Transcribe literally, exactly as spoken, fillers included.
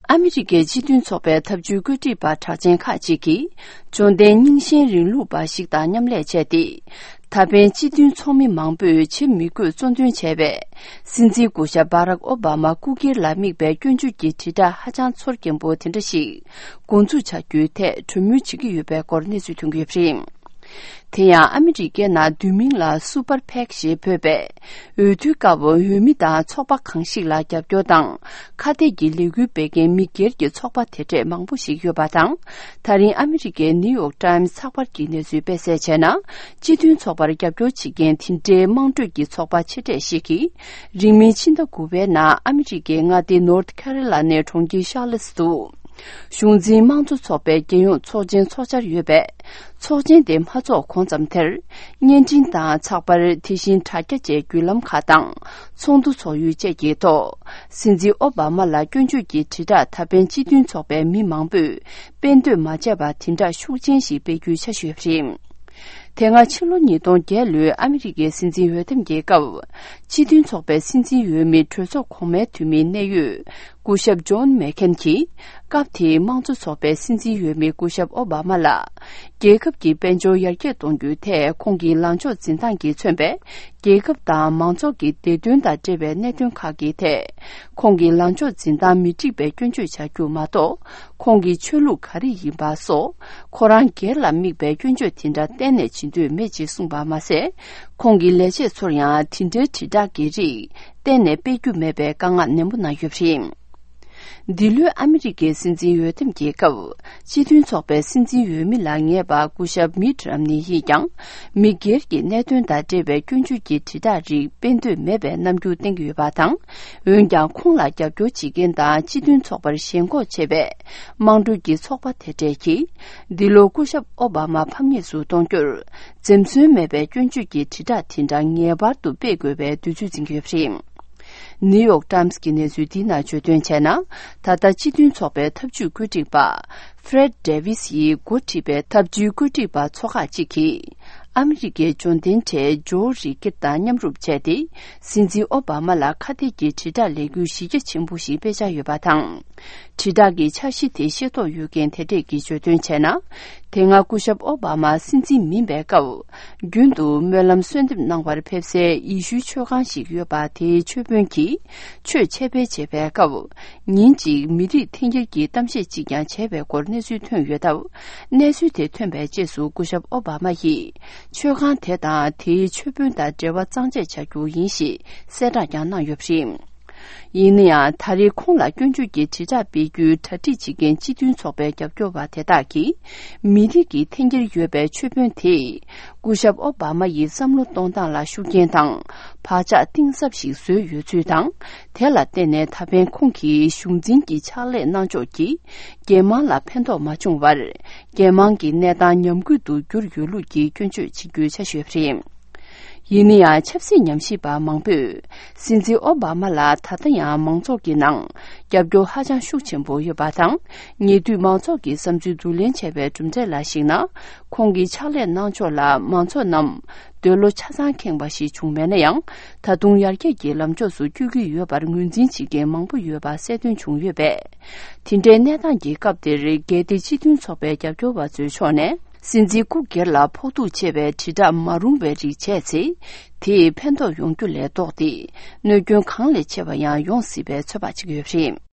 ཨ་མི་རི་ཀའི་སྤྱི་མཐུན་ཚོགས་པའི་ཐབས་ཇུས་བཀོད་སྒྲིག་པ་གྲགས་ཅན་ཁག་ཅིག་གིས། འབྱོར་ལྡན་རྙིང་ཞེན་རིང་ལུགས་པ་ཞིག་དང་མཉམ་ལས་བྱས་ཏེ། ད་ཕན་སྤྱི་མཐུན་ཚོགས་མི་མང་པོས་བྱེད་མི་དགོས་གཙོ་འདོན་བྱས་པའི། སྲིད་འཛིན་སྐུ་ཞབས་བྷ་རག་ཨོ་བྷ་མ་སྐུ་སྒེར་ལ་དམིགས་པའི་སྐྱོན་བརྗོད་ཀྱི་དྲིལ་བསྒྲགས་ཧ་ཅང་ཚོར་སྐྱེན་པོ་དེ་འདྲ་ཞིག་འགོ་འཛུགས་བྱ་རྒྱུའི་ཐད་གྲོས་མོལ་བྱེད་ཀྱི་ཡོད་པའི་སྐོར་གནས་ཚུལ་ཐོན་གྱི་ཡོད་པ་རེད། དེ་ཡང་ཨ་མི་རི་ཀའི་ནང་བསྡུས་མིང་ལ་སུ་པར་ཕེག་ཞེས་འབོད་པའི། འོས་བསྡུའི་སྐབས་འོས་མི་དང་ཚོགས་པ་གང་ཞིག་ལ་རྒྱབ་སྐྱོར་དང་། ཁ་གཏད་ཀྱི་ལས་འགུལ་སྤེལ་མཁན་མི་སྒེར་གྱི་ཚོགས་པ་དེ་འདྲས་མང་པོ་ཞིག་ཡོད་པ་དང་། ད་རིང་ཨ་མི་རི་ཀའི་ནིའུ་ཡོག་ཊའིམ་ཚགས་པར་གྱི་གནས་ཚུལ་སྤེལ་གསལ་བྱས་ན། སྤྱི་མཐུན་ཚོགས་པར་རྒྱབ་སྐྱོར་བྱེད་མཁན་དེ་འདྲའི་དམངས་ཁྲོད་ཀྱི་ཚོགས་པ་ཆེ་གྲས་ཤིག་གིས། རིང་མིན་ཕྱི་ཟླ་དགུ་པའི་ནང་ཨ་མི་རི་ཀའི་མངའ་སྡེ་ནོར་ཐི་ཁེ་རོ་ལ་ནའི་གྲོང་ཁྱེར་ཤར་ལེ་སི་ཏུ། གཞུང་འཛིན་དམངས་གཙོ་ཚོགས་པའི་རྒྱལ་ཡོངས་ཚོགས་ཆེན་འཚོགས་འཆར་ཡོད་པས། ཚོགས་ཆེན་དེ་མ་འཚོགས་གོང་ཙམ་དེར། བརྙན་འཕྲིན་དང་ཚགས་པར། དེ་བཞིན་དྲ་རྒྱ་བཅས་བརྒྱུད་ལམ་ཁག་དང་། ཚོགས་འདུ་འཚོགས་ཡུལ་བཅས་ཀྱི་ཐོག་སྲིད་འཛིན་ཨོ་བྷ་མ་ལ་སྐྱོན་བརྗོད་ཀྱི་དྲིལ་བསྒྲགས་ད་ཕན་སྤྱི་མཐུན་ཚོགས་པའི་མི་མང་པོས་སྤེལ་འདོད་མ་བྱས་པ་དེ་འདྲ་ཤུགས་ཆེན་ཞིག་སྤེལ་རྒྱུའི་འཆར་གཞི་ཡོད་པ་རེད། དེ་སྔ་ཕྱི་ལོ་ཉིས་སྟོང་བརྒྱད་ལོའི་ཨ་མི་རི་ཀའི་སྲིད་འཛིན་འོས་འདེམས་ཀྱི་སྐབས། སྤྱི་མཐུན་ཚོགས་པའི་སྲིད་འཛིན་འོས་མི་གྲོས་ཚོགས་གོང་མའི་འཐུས་མི་གནད་ཡོད། སྐུ་ཞབས་ཇོན་མེག་ཁེན་གྱིས། སྐབས་དེའི་དམངས་གཙོ་ཚོགས་པའི་སྲིད་འཛིན་འོས་མི་སྐུ་ཞབས་ཨོ་བྷ་མ་ལ། རྒྱལ་ཁབ་ཀྱི་དཔལ་འབྱོར་ཡར་རྒྱས་གཏོང་རྒྱུའི་ཐད་ཁོང་གི་ལངས་ཕྱོགས་འཛིན་སྟངས་ཀྱིས་མཚོན་པའི། རྒྱལ་ཁབ་དང་མང་ཚོགས་ཀྱི་བདེ་དོན་དང་འབྲེལ་བའི་གནད་དོན་ཁག་གི་ཐད། ཁོང་གི་ལངས་ཕྱོགས་འཛིན་སྟངས་མི་འགྲིག་པའི་སྐྱོན་བརྗོད་བྱ་རྒྱུ་མ་གཏོགས། ཁོང་གི་ཆོས་ལུགས་ག་རེ་ཡིན་པ་སོགས། ཁོ་རང་སྒེར་ལ་དམིགས་པའི་སྐྱོན་བརྗོད་དེ་འདྲ་གཏན་ནས་བྱེད་འདོད་མེད་ཅེས་གསུངས་པ་མ་ཟད། ཁོང་གི་ལས་བྱེད་ཚོར་ཡང་དེ་འདྲའི་དྲིལ་བསྒྲགས་ཀྱི་རིགས་གཏན་ནས་སྤེལ་རྒྱུ་མེད་པའི་བཀའ་མངགས་ནན་པོ་གནང་ཡོད་པ་རེད། འདི་ལོའི་ཨ་མི་རི་ཀའི་སྲིད་འཛིན་འོས་འདེམས་ཀྱི་སྐབས། སྤྱི་མཐུན་ཚོགས་པའི་སྲིད་འཛིན་འོས་མི་ལ་ངེས་པར་སྐུ་ཞབས་མིད་རམ་ནི་ཡིས་ཀྱང་། མི་སྒེར་གྱི་གནད་དོན་དང་འབྲེལ་བའི་སྐྱོན་བརྗོད་ཀྱི་དྲིལ་བསྒྲགས་རིགས་སྤེལ་འདོད་མེད་པའི་རྣམ་འགྱུར་བསྟན་གྱི་ཡོད་པ་དང་། འོན་ཀྱང་ཁོང་ལ་རྒྱབ་སྐྱོར་བྱེད་མཁན་དང་སྤྱི་མཐུན་ཚོགས་པར་ཞེན་ཁོག་ཆེ་བའི་དམངས་ཁྲོད་ཀྱི་ཚོགས་པ་དེ་འདྲས་ཀྱིས། འདི་ལོ་སྐུ་ཞབས་ཨོ་བྷ་མ་ཕམ་ཉེས་སུ་གཏོང་རྒྱུར། འཛེམ་ཟོན་མེད་པའི་སྐྱོན་བརྗོད་ཀྱི་དྲིལ་བསྒྲགས་དེ་འདྲ་ངེས་པར་དུ་སྤེལ་དགོས་པའི་འདོད་ཚུལ་འཛིན་གྱི་ཡོད་པ་རེད། ནིའུ་ཡོག་ཊའིམ་སི་གི་གནས་ཚུལ་འདི་ནང་བརྗོད་དོན་བྱས་ན། ད་ལྟ་སྤྱི་མཐུན་ཚོགས་པའི་ཐབས་ཇུས་བཀོད་སྒྲིག་པ། ཧྥི་རེད་ཌེ་ཝི་སི་ཡིས་འགོ་ཁྲིད་པའི་ཐབས་ཇུས་བཀོད་སྒྲིག་པ་ཚོ་ཁག་ཅིག་གིས། ཨ་མི་རི་ཀའི་འབྱོར་ལྡན་གྲས་ཇོ་རི་ཀིར་དང་མཉམ་རུབ་བྱས་ཏེ། སྲིད་འཛིན་ཨོ་བྷ་མ་ལ་ཁ་གཏད་ཀྱི་དྲིལ་བསྒྲགས་ལས་འགུལ་གཞི་རྒྱ་ཆེན་པོ་ཞིག་སྤེལ་འཆར་ཡོད་པ་དང་། དྲིལ་བསྒྲགས་ཀྱི་འཆར་གཞི་དེ་ཤེས་རྟོགས་ཡོད་མཁན་དེ་འདྲས་ཀྱིས་བརྗོད་དོན་བྱས་ན། དེ་སྔ་སྐུ་ཞབས་ཨོ་བྷ་མ་སྲིད་འཛིན་མིན་པའི་སྐབས། རྒྱུན་དུ་སྨོན་ལམ་གསོལ་འདེབས་གནང་བར་ཕེབས་སའི་ཡེ་ཤུའི་ཆོས་ཁང་ཞིག་ཡོད་པ། དེའི་ཆོས་དཔོན་གྱིས་ཆོས་འཆད་སྤེལ་བྱེད་པའི་སྐབས། ཉིན་གཅིག་མི་རིགས་འཐེན་འཁྱེར་གྱི་གཏམ་བཤད་ཅིག་ཀྱང་བྱས་པའི་སྐོར་གནས་ཚུལ་ཐོན་ཡོད་སྟབས། གནས་ཚུལ་དེ་ཐོན་པའི་རྗེས་སུ་སྐུ་ཞབས་ཨོ་བྷ་མ་ཡིས། ཆོས་ཁང་དེ་དང་དེའི་ཆོས་དཔོན་དང་འབྲེལ་བ་གཙང་བཅད་བྱ་རྒྱུ་ཡིན་ཞེས་གསལ་བསྒྲགས་ཀྱང་གནང་ཡོད་པ་རེད། ཡིན་ན་ཡང་། ད་རེས་ཁོང་ལ་སྐྱོན་བརྗོད་ཀྱི་དྲིལ་བསྒྲགས་སྤེལ་རྒྱུའི་གྲ་སྒྲིག་བྱེད་མཁན་སྤྱི་མཐུན་ཚོགས་པའི་རྒྱབ་སྐྱོར་བ་དེ་དག་གིས། མི་རིགས་ཀྱི་འཐེན་འཁྱེར་ཡོད་པའི་ཆོས་དཔོན་དེས། སྐུ་ཞབས་ཨོ་བྷ་མ་ཡི་བསམ་བློ་གཏོང་སྟངས་ལ་ཤུགས་རྐྱེན་དང་། བག་ཆགས་གཏིང་ཟབ་ཞིག་བཟོས་ཡོད་ཚུལ་དང་། དེ་ལ་བརྟེན་ནས་ད་ཕན་ཁོང་གིས་གཞུང་འཛིན་གྱི་ཕྱག་ལས་གནང་ཕྱོགས་ཀྱིས། རྒྱལ་དམངས་ལ་ཕན་ཐོགས་མ་བྱུང་བར། རྒྱལ་དམངས་ཀྱི་གནས་སྟངས་ཉམས་རྒུད་དུ་གྱུར་ཡོད་ལུགས་ཀྱི་སྐྱོན་བརྗོད་བྱེད་རྒྱུའི་འཆར་གཞི་ཡོད་པ་རེད། ཡིན་ན་ཡང་། ཆབ་སྲིད་ཉམས་ཞིབ་པ་མང་པོས། སྲིད་འཛིན་ཨོ་བྷ་མ་ལ་ད་ལྟ་ཡང་མང་ཚོགས་ཀྱི་ནང་རྒྱབ་སྐྱོར་ཧ་ཅང་ཤུགས་ཆེན་པོ་ཡོད་པ་དང་། ཉེ་དུས་མང་ཚོགས་ཀྱི་བསམ་ཚུལ་བསྡུ་ལེན་བྱས་པའི་གྲུབ་འབྲས་ལ་གཞིགས་ན། ཁོང་གི་ཕྱག་ལས་གནང་ཕྱོགས་ལ་མང་ཚོགས་རྣམས་འདོད་བློ་ཆ་ཚང་ཁེངས་པ་ཞིག་བྱུང་མེད་ན་ཡང་། ད་དུང་ཡར་རྒྱས་ཀྱི་ལམ་ཕྱོགས་སུ་བསྐྱོད་ཀྱི་ཡོད་པར་ངོས་འཛིན་བྱེད་མཁན་མང་པོ་ཡོད་པ་གསལ་སྟོན་བྱུང་ཡོད་པས། དེ་འདྲའི་གནས་སྟངས་ཀྱི་སྐབས་དེར། གལ་ཏེ་སྤྱི་མཐུན་ཚོགས་པའི་རྒྱབ་སྐྱོར་བ་ཚོའི་ཕྱོགས་ནས། སྲིད་འཛིན་སྐུ་སྒེར་ལ་ཕོག་ཐུག་ཆེ་བའི་དྲིལ་བསྒྲགས་མ་རུང་བའི་རིགས་བྱས་ཚེ། དེས་ཕན་ཐོགས་ཡོང་རྒྱུ་ལས་ལྡོག་སྟེ། གནོད་སྐྱོན་གང་ལས་ཆེ་བ་ཡང་ཡོང་སྲིད་པའི་ཚོད་དཔག་བྱེད་ཀྱི་ཡོད་པ་རེད།